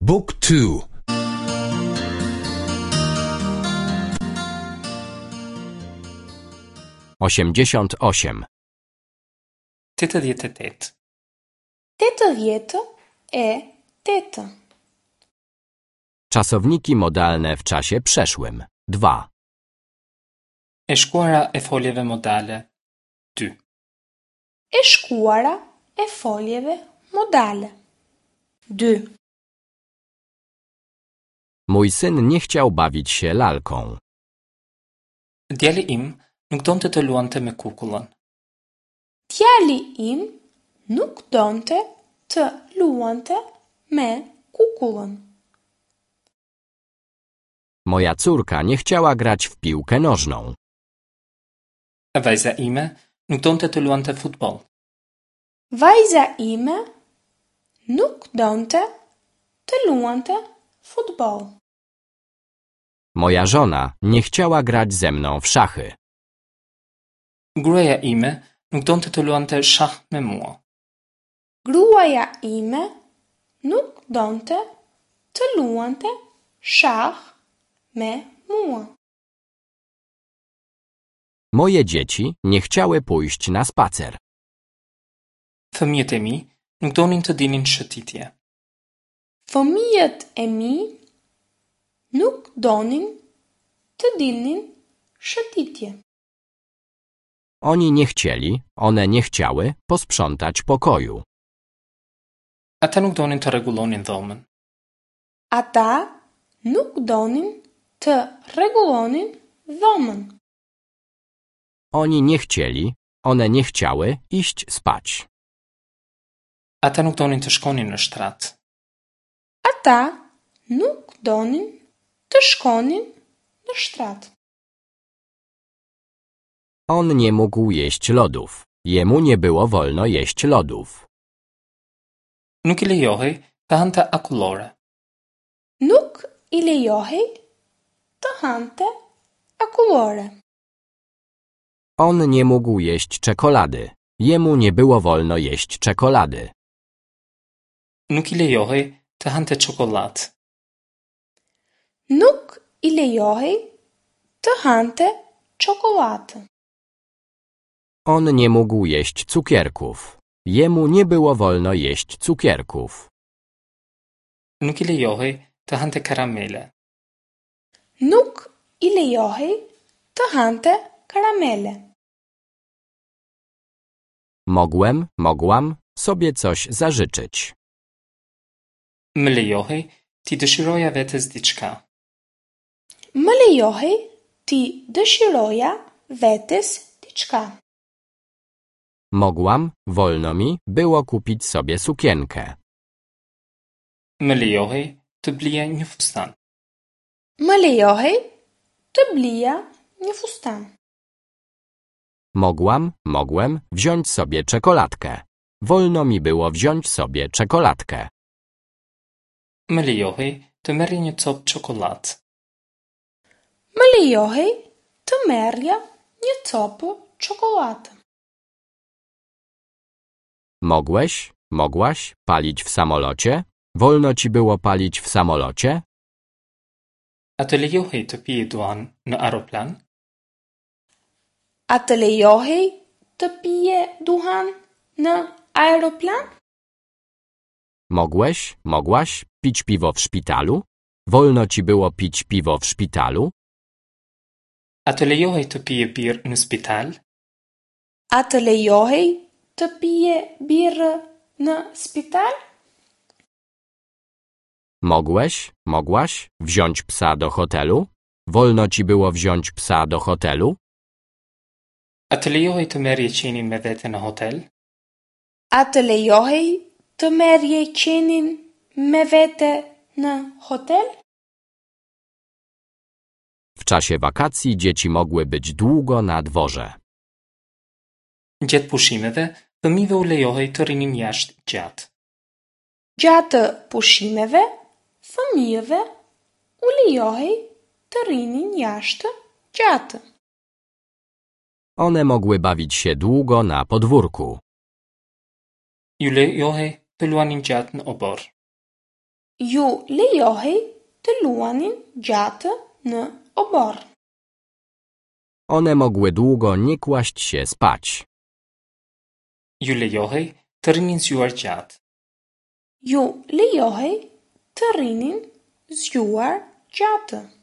บุ๊กทู 88. 88. 88. Czasowniki modalne w czasie przeszłym. 2. E shkuara e foljeve modale. 2. E shkuara e foljeve modale. 2. Mój syn nie chciał bawić się lalką. Djali im nuk donte të luante me kukullën. Djali im nuk donte të luante me kukullën. Moja córka nie chciała grać w piłkę nożną. Vajza ime nuk donte të luante futboll. Vajza ime nuk donte të luante futboll. Moja żona nie chciała grać ze mną w szachy. Gruaja ime nuk donte të luante shah me mua. Gruaja ime nuk donte të luante shah me mua. Moje dzieci nie chciały pójść na spacer. Fëmijët e mi nuk donin të dilnin shëtitje. Fëmijët e mi nuk donin të dilnin shëtitje. Oni nie chcieli, one nie chciały posprzątać pokoju. Ata nuk donin të rregullonin dhomën. Ata nuk donin të rregullonin dhomën. Oni nie chcieli, one nie chciały iść spać. Ata nuk donin të shkonin në shtrat. Ata nuk donin të shkonin në shtrat. On nie mógł jeść lodów. Jemu nie było wolno jeść lodów. Nuk i lejohej të hante akullore. Nuk i lejohej të hante akullore. On nie mógł jeść czekolady. Jemu nie było wolno jeść czekolady. Nuk i lejohej të hante çokollatë. Nuk i lejohej të hante çokollatë. On nie mógł jeść cukierków. Jemu nie było wolno jeść cukierków. Nuk i lejohej të hante karamele. Nuk i lejohej të hante karamele. Mogłem, mogłam sobie coś zażyczyć. Më lejohej t'i dëshiroja vetes diçka. Më lejohej t'i dëshiroja vetes diçka. Mogłam, wolno mi było kupić sobie sukienkę. Më lejohej të blija një fustan. Më lejohej të blija një fustan. Mogłam, mogłem wziąć sobie czekoladkę. Wolno mi było wziąć sobie czekoladkę. Më lejohej të merrja një copë çokollatë. Më lejohej të merrja një copë çokollatë. Mogłeś, mogłaś palić w samolocie? Wolno ci było palić w samolocie? A të lejohej të pije duhan në aeroplan? A të lejohej të pije duhan në aeroplan? Mogłeś, mogłaś pić piwo w szpitalu? Wolno ci było pić piwo w szpitalu? A të lejohej të pije birrë në spital? A të lejohej të pije birrë në spital? Mogłeś, mogłaś wziąć psa do hotelu? Wolno ci było wziąć psa do hotelu? A të lejohej të merrje qenin me vete në hotel? A të lejohej të merrje qenin me vete në hotel? W czasie wakacji dzieci mogły być długo na dworze. Gjatë pushimeve, fëmijëve u lejohej të rrinin jashtë gjatë. Gjatë pushimeve, fëmijëve u lejohej të rrinin jashtë gjatë. One mogły bawić się długo na podwórku. Ju lejohej të luanin gjatë në oborr. Ju lejohej të luanin gjatë në oborr. One mogły długo nie kłaść się spać. Ju lejohej të rrinin zgjuar gjatë. Ju lejohej të rrinin zgjuar gjatë.